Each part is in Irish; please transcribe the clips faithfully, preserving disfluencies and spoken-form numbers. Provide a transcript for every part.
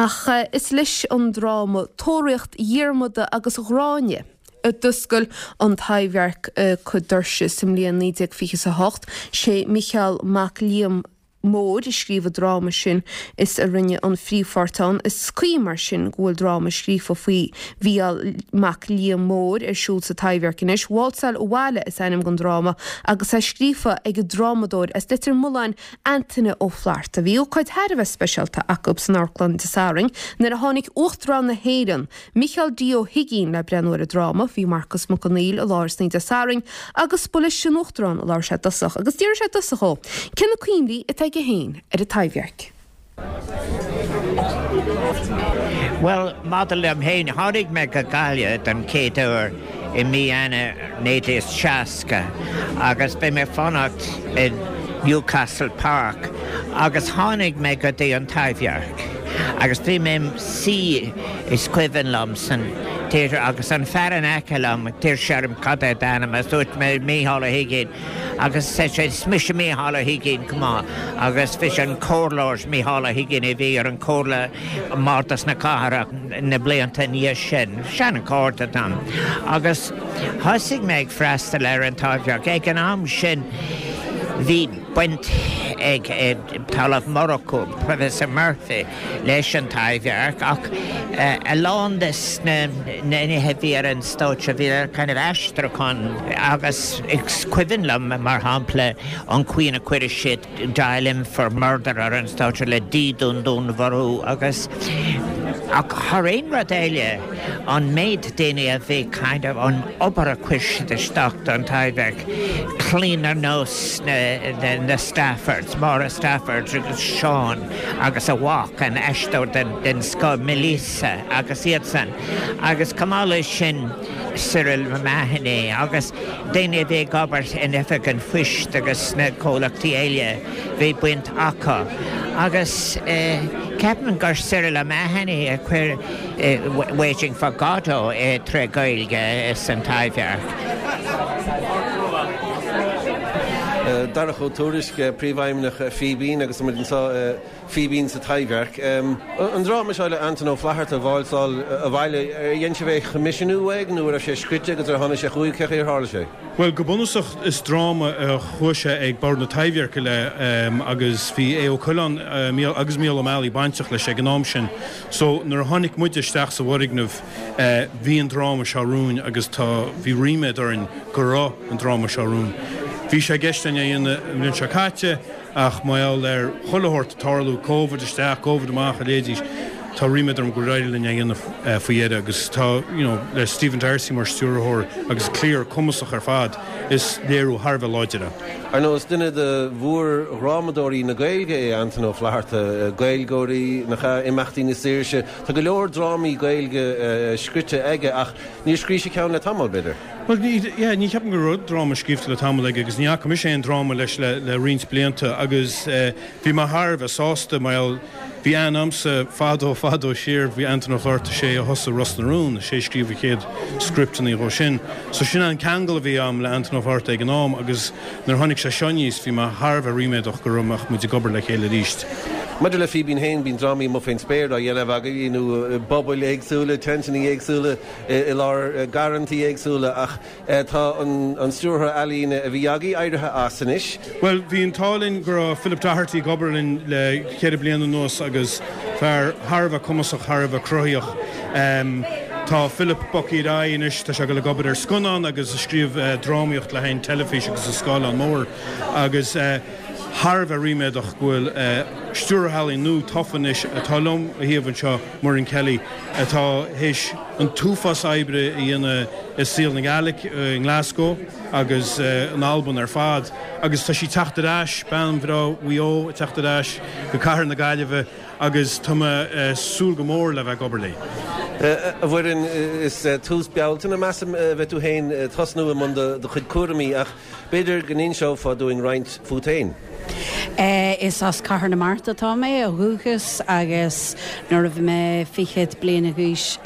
Ach is leis an dráma Tóraíocht Dhiarmada agus Ghráinne a d'oscail an Taibhdhearc a chuid doirse sa mbliain naoi déag fiche a hocht, sé Micheál Mac Liam Móir a scríobh an dráma sin is a rinne an phríomhpháirt ann. Is cuí mar sin go bhfuil dráma scríofa faoi Mhícheál Mac Liam Móir ar siúl sa Taibhdhearc anois. Válsáil Abhaile is ainm don dráma agus é scríofa ag an drámadóir as Leitir Mealláin Antaine Ó Flatharta. Bhí ócáid thar a bheith speisialta acu san amharclann Dé Sathairn nuair a tháinig Uachtarán na hÉireann, Micheál D. Ó hUigínn le breathnú ar an dráma. Bhí Marcas Mac Conghail i láthair san Dé Sathairn agus ba leis an Uachtarán a labhair sé i dtosach agus d'fhiafraigh sé i dtosach dhó cé na cuimhní atá aige féin ar an Taibhdhearc. Bhuel, maidir liom féin, tháinig mé go Gaillimh den chéad uair i mí Eanáir naoi déag seasca agus bhí mé ag fanacht i Newcastle Park agus tháinig mé go dtí an Taibhdhearc agus bhí mé im suí is cuimhin liom san theatre agus an fear in aice liom d'iarr sé orm cad é d'ainm agus dúirt mé Mícheál Ó hUigínn agus sé is mise Mícheál Ó hUigínn chomh maith agus bhí sé an comhairleoir Mícheál Ó hUigínn a bhí ar an comhairle i mBardas na Cathrach na blianta ina dhiaidh sin, seanchairde dom. Agus thosaigh mé ag freastal ar an Taibhdhearc. Ag an am sin bhí baint ag Talamh Murchú, Professor Murphy, leis an Taibhdhearc ach a lán de na nithe a bhí ar an stáitse bhí ar kind of aistriúchán agus is cuimhin liom mar shampla an chaoi a chuir siad Dial M for Murder ar an stáitse le dídún dúnmharú agus ach thar aon rud eile an méid daoine a bhí kind of an obair a chuir siad isteach don Taibhdhearc, clainn ar nós na, na, na Staffords, Máire Stafford agus Seán agus a mhac, an aisteoir den, den scoth Melissa agus iadsan. Agus chomh maith leis sin Cyril O'Mahony agus daoine a bhí ag obair in oifig an phoist agus sna comhlachtaí eile bhí baint acu. Agus eh, ceapaim gur Cyril O'Mahony a chuir eh, Waiting for Godot eh, tré Gaeilge san Taibhdhearc. Darach Ó Tuairisg, Príomhfheidhmeannach Fíbín agus muid anseo Fíbín sa Taibhdhearc. An dráma seo le Antain Ó Flatharta, Válsáil Abhaile, ar dhein sibh é a choimisiúnú uaidh nó raibh sé scrite agus ar tháinig sé chugaibh cén chaoi ar tharla sé? Bhuel, go bunúsach is dráma a chuaigh sé ag Bord na Taibhdheirce le agus bhí Aodh Ó Coileáin agus Mícheál Ó Meallaigh bainteach leis ag an am sin. So nuair a tháinig muide isteach sa bhfoirgneamh bhí an dráma seo romhainn agus tá, bhí ríméad orainn go raibh an dráma seo romhainn. Bhí sé i gceist againn é a dhéanamh an bhliain seo caite ach mar gheall ar chuile shórt ag tarlú, Covid isteach, Covid amach, a leithéidí, tá ríméad orm gur éirigh linn é a dhéanamh faoi dheireadh agus tá, you know, le Stephen D'Arcy mar stiúrthóir agus cliar cumasach ar fad, is léiriú thar a bheith láidir é. Ar ndóigh, is duine de mhórdhrámadóirí na Gaeilge é Antain Ó Flatharta, Gaeilgeoirí, nach ea, Imeachtaí na Saoirse. Tá go leor drámaí Gaeilge scrite aige ach níor scríobh sé ceann le tamall, b'fhéidir. Bhuel, ní, yeah, ní cheapaim go raibh dráma scríofa le tamall aige agus ní fhaca mise aon dráma leis le, le roinnt blianta agus eh, bhí mé thar a bheith sásta mar gheall, bhí aithne agamsa fadó, fadó siar, bhí Antain Ó Flatharta, sé a thosaigh Ros na Rún, sé a scríobh a chéad scripteanna dhó sin. So sin an ceangal a bhí agam le Antain Ó Flatharta ag an am agus nuair a tháinig sé seo aníos bhí mé thar a bheith ríméadach go raibh mbeadh muid ag obair le chéile arís. Maidir le Fíbín féin, bíonn drámaí amuigh fén spéir á dhéanamh agaibh nó i bpobail éagsúla, teinteanna éagsúla, i lár garrantaí éagsúla ach tá an stiúrthóir ealaíne a bhí agaibh éirithe as anois. Bhuel, bhí an t-ádh linn go raibh Philip Doherty ag obair linn le ceithre bliana anuas agus fear thar a bheith cumasach, thar a bheith cruthaíoch. Tá Philip bogtha ar aghaidh anois, tá sé ag dul ag obair ar scannán agus ag scríobh drámaíocht le haghaidh an teilifís agus an scáileán mór agus thar a bheith ríméadach go bhfuil stiúrthóir ealaíon nua tofa anois atá liom a thaobh anseo, Muireann Kelly, atá théis an t-uafás oibre a dhéanamh i saol na Gaeilge i nGlasgow agus in Albain ar fad agus tá sí ag teacht ar ais, bean bhreá Mhaigh Eo ag teacht ar ais go cathair na Gaillimhe agus tá mé ag súil go mór le bheith ag obair léi. A Mhuireann, is tús Bealtaine, measaim, a bheidh tú féin ag tosnú i mbun do chuid cúraimí ach b'fhéidir go n-inseofá dúinn roinnt fút féin. Is as Cathair na Mart atá mé ó dhúchas agus nuair a bhí mé fichead bliana d'aois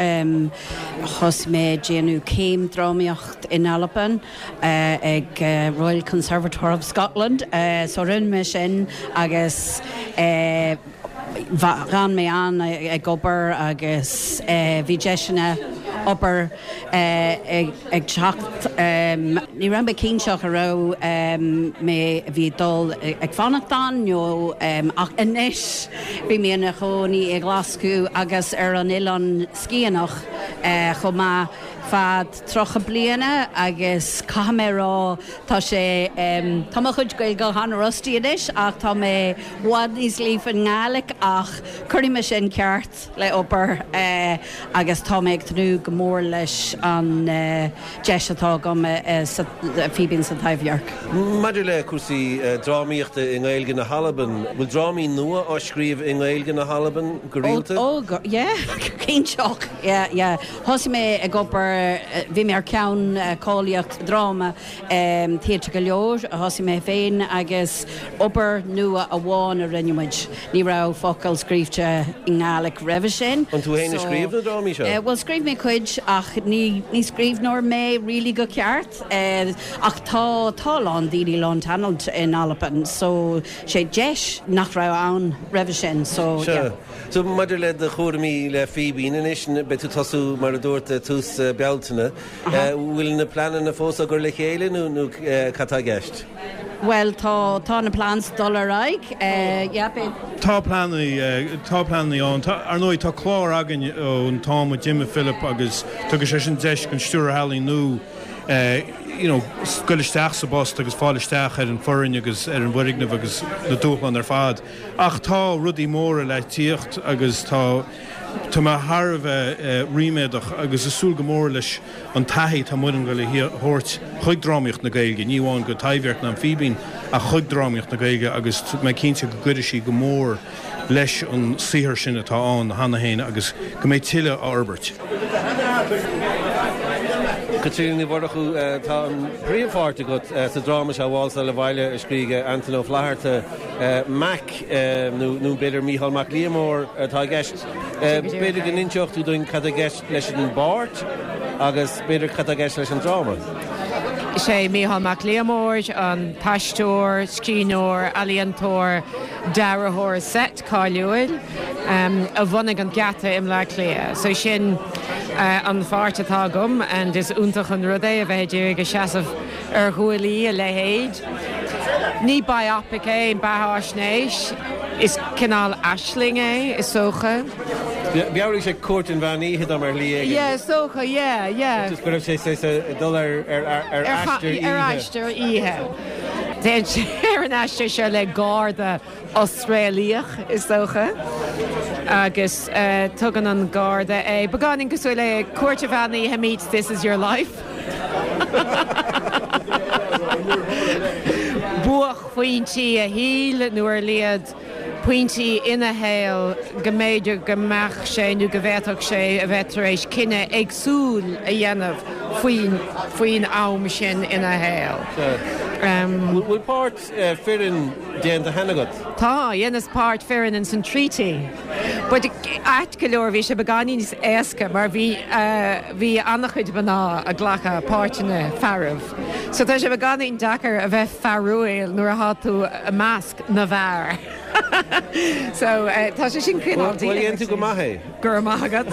thosaigh mé ag déanamh céim drámaíocht in Albain ag Royal Conservatoire of Scotland. So rinne mé sin agus D'fhan mé ann ag obair agus bhí deiseanna obair ag teacht. Ní raibh mé cinnte an raibh mé bhí dul ag fanacht ann nó ach anois bhí mé ina chónaí i Glaschú agus ar an Oileán Sciathanach chomh maith feadh tríocha bliana agus caithfidh mé rá tá sé tá mo chuid Gaeilge an-rusty anois ach tá mé i bhfad níos líofa i nGàidhlig ach cuirfidh mé sin ceart le obair agus tá mé ag tnúth go mór leis an deis atá agam sa Fíbín sa Taibhdhearc. Maidir le cúrsaí drámaíochta i nGaeilge na hAlban, bhfuil drámaí nua á scríobh i nGaeilge na hAlban go rialta? Ó yeah, cinnteach, yeah, yeah. Thosaigh mé ag obair bhí mé ar ceann cáilíocht dráma Theatr go leor a thosaigh mé féin agus obair nua amháin a rinne muid. Ní raibh focal scríte i nGàidhlig roimhe sin. An tú féin a scríobh na drámaí seo? Well scríobh mé cuid ach ní ní scríbhneoir mé really go ceart ach tá tá lán daoine lán talent in Albain so sé deis nach raibh ann roimhe sin so yeah. So maidir le do chúraimí le Fíbín anois beidh tú tosú mar a dúirt tús Bealtaine, bhfuil na pleananna fós á gcur le chéile nó nó cad tá i gceist? Well tá tá na plans dul ar aghaidh yeah, Tá pleananna tá pleananna ann ar ndóigh tá clár againn ón t-am a d'imigh Philip agus tugann sé sin deis don stiúrthóir ealaíon nua you know, dul isteach sa bpost agus fáil isteach ar an foireann agus ar an bhfoirgneamh agus na dúshláin ar fad. Ach tá rudaí móra le tíocht agus tá Tá mé thar a bheith ríméadach agus ag súil go mór leis an taithí atá Muireann le thabhairt chuig drámaíocht na Gaeilge, ní amháin go Taibhdhearc ná an Fíbín ach chuig drámaíocht na Gaeilge agus mé cinnte go gcuirfidh sí go mór leis an saothar sin atá ann cheana féin agus go mbeidh tuilleadh á fhorbairt. Caitríona Ní Mhurchú tá an príomhpháirt agat sa dráma seo Válsáil Abhaile a scríobh Antain Ó Flatharta Mac nó nó b'fhéidir Mícheál Mac Liammóir atá i gceist. B'fhéidir go n-inseodh tú dúinn cad i gceist leis an bpáirt agus b'fhéidir cad i gceist leis an dráma. Sé Mícheál Mac Liammóir an t-aisteoir, scríbhneoir, ealaíontóir, dearthóir seit cáiliúil um, a bhunaigh an geata i mBleá Cliath. So sin uh, an pháirt atá agam and is iontach an rud é a bheith ag seasamh ar ghuaillí a leithéid. Ní biopic é beathaisnéis is cineál aisling é is dócha. Mheabhraigh sé Cúirt an Mheán Oíche dom ar shlí Yeah, is dócha, yeah, yeah. Just go raibh sé sé dul ar ar ar aistear ar aistear oíche. Téann sé ar an aistear seo le garda Australiach is dócha. agus uh, tugann an garda é. Beagáinín cosúil le Cúirt an Mheán Oíche meets this is your life. Buaicphointí a shaoil nó ar laghad pointí ina shaol go mb'fhéidir go mbeadh sé nó go bhféadfadh sé a bheith tar éis cinneadh éagsúil a dhéanamh faoin faoin am sin ina shaol. Bhfuil páirt fireann déanta cheana agat? Tá dheineas páirt fireann in san Treaty. But ait go leor bhí sé beagáinín níos éasca mar bhí bhí an-chuid mná ag glacadh páirteanna fearaibh. So tá sé beagáinín deacair a bheith fearúil nuair atá tú i measc na bhfear. so uh, tá sé sin cineál dhéan tú go maith é. Gur maith agat.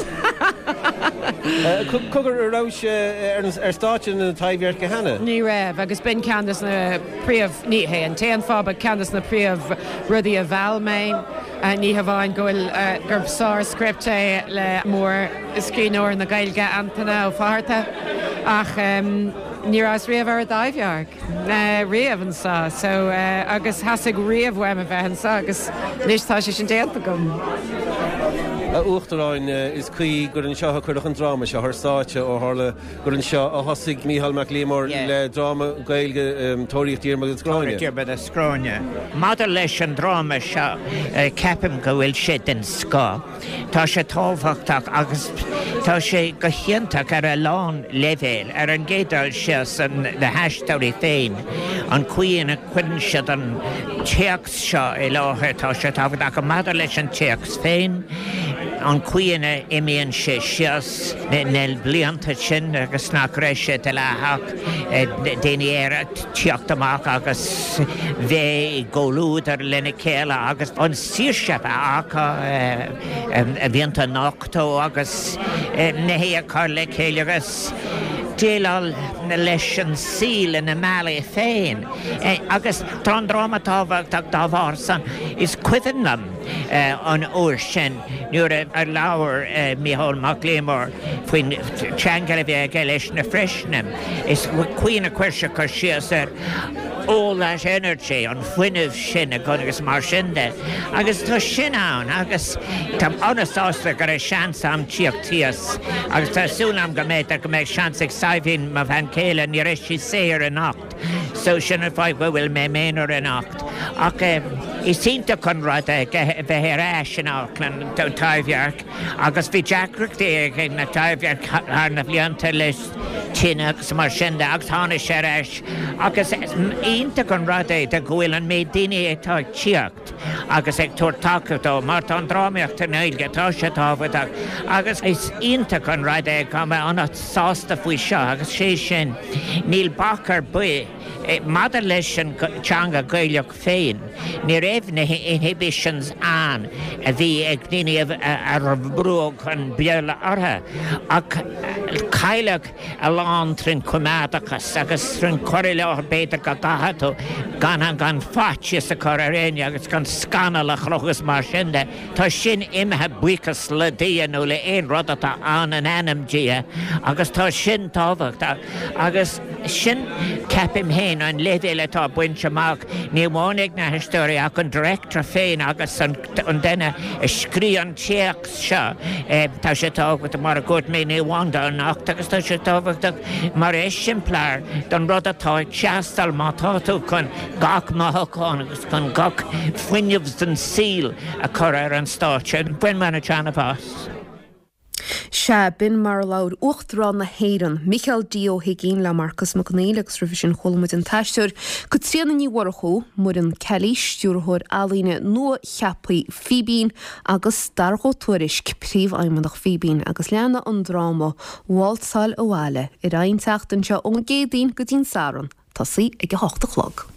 Cogar an raibh sé ar stáitse na Taibhdheirce cheana? Ní raibh agus b'in ceann des na príomh ní hé an t-aon fáth ach ceann des na príomh rudaí a mheall mé ní hamháin go bhfuil gur sár script é le mór scríbhneoir na Gaeilge Antaine Ó Fátharta ach um, ní rabhas riamh ar an Taibhdhearc riamh anseo so uh, agus theastaigh riamh uaim a bheith anseo agus anois tá sé sin déanta agam. A Uachtaráin is cuí gur anseo a cuireadh an dráma seo ar stáitse ó tharla gur anseo a thosaigh Mícheál Mac Liammóir le dráma Gaeilge Tóraíocht Dhiarmada is Gráinne. Diarmada is Gráinne. Maidir leis an dráma seo ceapaim go bhfuil sé den scoth. Tá sé tábhachtach agus tá sé go hiontach ar a lán leibhéal ar an gcéad dul síos na haisteoirí féin an chaoi ina gcuireann siad an téacs seo i láthair tá sé tábhachtach maidir leis an téacs féin. An chaoi ina n-imíonn sé síos na blianta sin agus nach raibh sé dleathach daoine aeracha tíocht amach agus bheith i gcomhluadar lena chéile agus an saoirse a bheith acu a mhianta a nochtadh agus nithe a chur le chéile agus déileáil leis an saol ina mbealaí féin. Agus tá an dráma tábhachtach dá bharr san. Is cuimhin liom an uair sin nuair a labhair Mícheál Mac Liammóir faoin cheangal a bhí aige leis na Freischem. Is cuimhin a chuir sé cur síos ar all that energy, an fuinneamh sin a agus mar sin de. Agus tá sin ann agus tá an-sásta go raibh seans agam tíocht thíos agus tá súil agam go mbeidh go mbeidh seans ag Saidhbhín mo bhean chéile ní raibh sí saor anocht. So sin an fáth go bhfuil mé m'aonar anocht. Ach eh, is iontach an rud é bheith ar ais in Amharclann an Taibhdhearc agus bhí deacrachtaí ag na Taibhdhearc thar na blianta leis tine agus mar sin de agus tháinig sé ar ais agus iontach an rud é de go bhfuil an méid daoine atá ag tíocht agus ag tabhairt tacaíocht dó mar tá an drámaíocht i nGaeilge tá sé tábhachtach agus is iontach an rud é go mbeidh an-sásta faoi seo agus sé sin níl bac ar bith maidir leis an teanga Gaelach féin. Ní raibh na inhibitions ann a bhí ag daoine a brúdh an Béarla orthu ach cailleadh a lán trín coimeádachas agus trín chur i láthair b'fhéidir go gcaithfidh tú gan an gan faitíos a chur ar éinne agus gan scannal a chruthú agus mar sin de. Tá sin imithe buíochas le Dia nó le aon rud atá ann in ainm Dia agus tá sin tábhachtach agus sin ceapaim féin an leibhéal atá bainte amach ní amháin ag na haisteoirí ach an director féin agus an duine a scríobh an téacs seo. Tá sé tábhachtach mar a dúirt mé ní amháin anocht agus tá sé tábhachtach mar eiseamláir don rud atá ag teastáil má tá tú chun gach mothúchán agus chun gach fuinneamh den saol a chur ar an stáitse. Bhain mé an-taitneamh as. Sea b'in mar a labhair Uachtarán na hÉireann, Micheál D. Ó hUigínn le Marcas Mac Conghail agus roimhe sin chuala muid an t-aisteoir Caitríona Ní Mhurchú, Muireann Kelly, stiúrthóir ealaíne nua-cheaptha Fíbín agus Darach Ó Tuairisg, príomhfheidhmeannach Fíbín agus leanfaidh an dráma Válsáil Abhaile ar aghaidh an tseachtain seo ón gCéadaoin go dtí'n Satharn, tosaí ag a hocht a chlog.